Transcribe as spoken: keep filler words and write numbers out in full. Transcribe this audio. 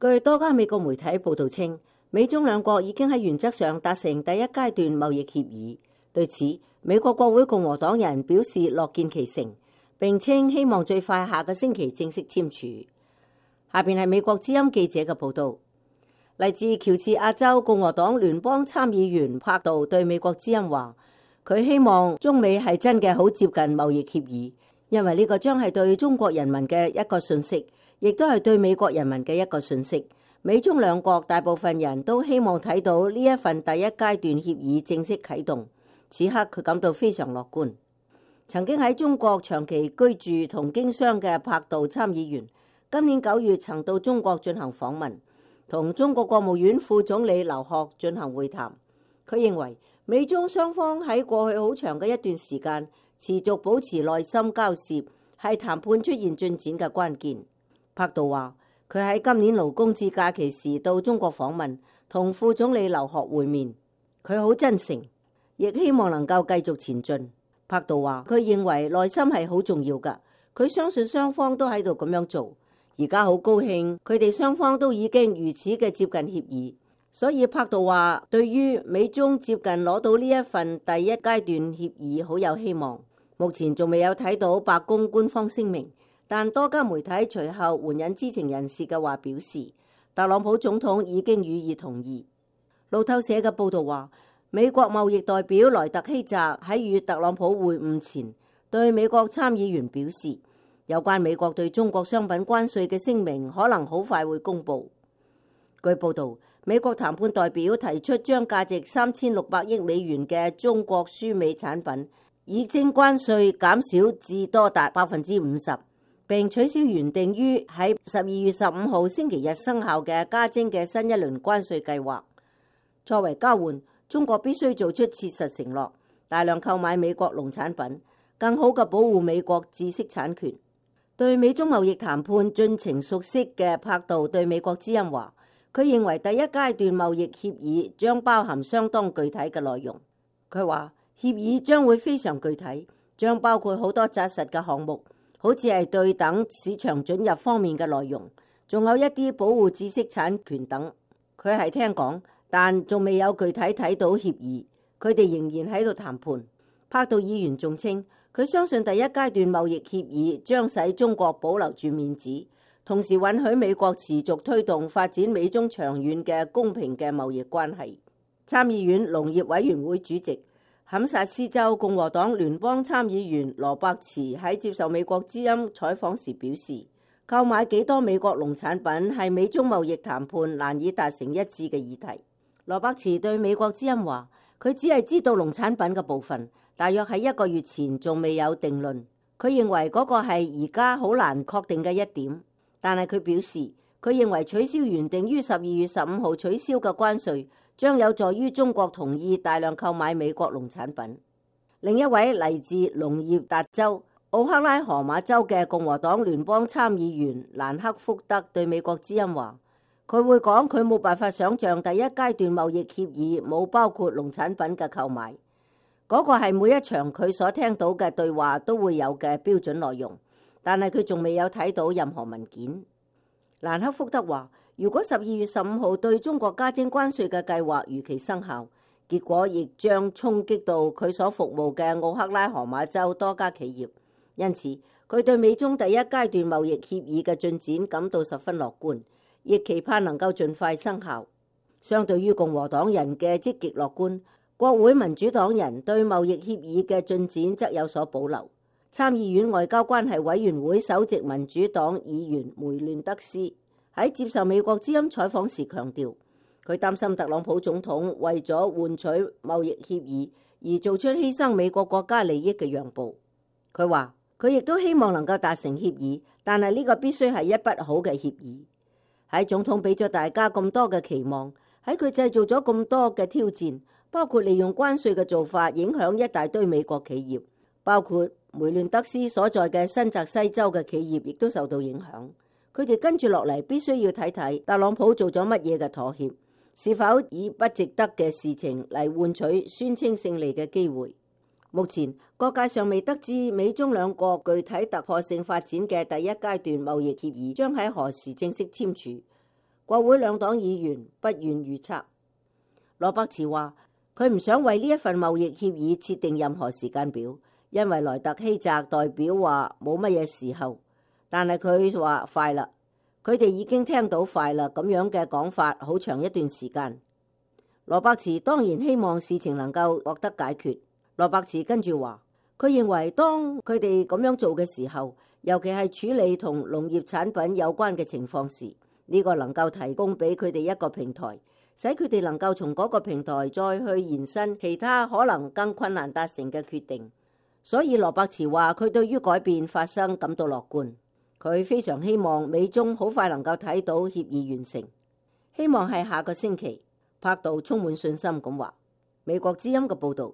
據多家美國媒體報道稱，美中兩國已經喺原則上達成第一階段貿易協議。對此，美國國會共和黨人表示樂見其成，並稱希望最快下個星期正式簽署。下邊係美國之音記者嘅報道。嚟自喬治亞州共和黨聯邦參議員柏杜對美國之音話，佢希望中美係真嘅好接近貿易協議，因為呢個將係對中國人民嘅一個訊息，亦都係對美國人民嘅一個訊息。美中兩國大部分人都希望睇到呢一份第一階段協議正式啟動。此刻佢感到非常樂觀。曾經喺中國長期居住同經商嘅柏杜參議員，今年九月曾到中國進行訪問，同中國國務院副總理劉鶴進行會談。佢認為美中雙方喺過去好長嘅一段時間持續保持耐心交涉，係談判出現進展嘅關鍵。柏杜話，佢喺今年勞工節假期時到中國訪問，同副總理劉鶴會面。佢好真誠，亦希望能夠繼續前進。柏杜話，佢認為耐心係好重要㗎，佢相信雙方都喺度咁樣做。而家好高興，佢哋雙方都已經如此嘅接近協議。所以柏杜話，對於美中接近攞到呢一份第一階段協議好有希望。目前仲未有睇到白宮官方聲明，但多家媒體隨後援引知情人士嘅話表示，特朗普總統已經予以同意。路透社嘅報導話，美國貿易代表萊特希澤喺與特朗普會晤前，對美國參議員表示，有關美國對中國商品關稅嘅聲明可能好快會公佈。據報導，美國談判代表提出將價值三千六百億美元嘅中國輸美產品已徵關稅減少至多達百分之五十，並取消原定於喺十二月十五號星期日生效嘅加徵嘅新一輪關稅計劃。作為交換，中國必須做出切實承諾，大量購買美國農產品，更好嘅保護美國知識產權。對美中貿易談判進程熟悉嘅柏杜對美國之音話，佢認為第一階段貿易協議將包含相當具體嘅內容。佢話，協議將會非常具體，將包括好多紮實嘅項目，好似係對等市場准入方面嘅內容，仲有一啲保護知識產權等。佢係聽講，但仲未有具體睇到協議，佢哋仍然喺度談判。柏杜議員仲稱，佢相信第一階段貿易協議將使中國保留住面子，同時允許美國持續推動發展美中長遠嘅公平嘅貿易關係。參議院農業委員會主席堪薩斯州共和黨聯邦參議員羅伯茨喺接受美國之音採訪時表示，購買幾多美國農產品係美中貿易談判難以達成一致嘅議題。羅伯茨對美國之音話，佢只係知道農產品嘅部分，大約喺一個月前仲未有定論。佢認為嗰個係而家好難確定嘅一點，但係佢表示，佢認為取消原定於十二月十五號取消嘅關稅，將有助於中國同意大量購買美國農產品。另一位嚟自農業達州奧克拉荷馬州嘅共和黨聯邦參議員蘭克福德對美國之音話，佢會講佢冇辦法想像第一階段貿易協議冇包括農產品嘅購買，嗰個係每一場佢所聽到嘅對話都會有嘅標準內容，但係佢仲未有睇到任何文件。蘭克福德話，如果十二月十五號對中國加徵關稅嘅計劃如期生效，結果亦將衝擊到佢所服務嘅奧克拉荷馬州多家企業，因此佢對美中第一階段貿易協議嘅進展感到十分樂觀，亦期盼能夠盡快生效。相對於共和黨人嘅積極樂觀，國會民主黨人對貿易協議嘅進展則有所保留。參議院外交關係委員會首席民主黨議員梅亂德斯喺接受美國之音採訪時強調，佢擔心特朗普總統為咗換取貿易協議而做出犧牲美國國家利益嘅讓步。佢話佢亦都希望能夠達成協議，但係呢個必須係一筆好嘅協議。喺總統俾咗大家咁多嘅期望，喺佢製造咗咁多嘅挑戰，包括利用關稅嘅做法影響一大堆美國企業，包括梅亂德斯所在嘅新澤西州嘅企業亦都受到影響。佢哋跟住落嚟必須要睇睇特朗普做咗乜嘢嘅妥協，是否以不值得嘅事情嚟換取宣稱勝利嘅機會。目前各界尚未得知美中兩國具體突破性發展嘅第一階段貿易協議將喺何時正式簽署。國會兩黨議員不願預測。羅伯茨話佢唔想為呢一份貿易協議設定任何時間表，因為萊特希澤代表話冇乜嘢時候，但係佢話快啦，佢哋已經聽到快啦咁樣嘅講法好長一段時間。羅伯茨當然希望事情能夠獲得解決。羅伯茨跟住話，佢認為當佢哋咁樣做嘅時候，尤其係處理同農業產品有關嘅情況時，呢個能夠提供俾佢哋一個平台，使佢哋能夠從嗰個平台再去延伸其他可能更困難達成嘅決定。所以羅伯茨話佢對於改變發生感到樂觀，佢非常希望美中好快能夠睇到協議完成，希望係下個星期。柏杜充滿信心咁話。美國之音嘅報導。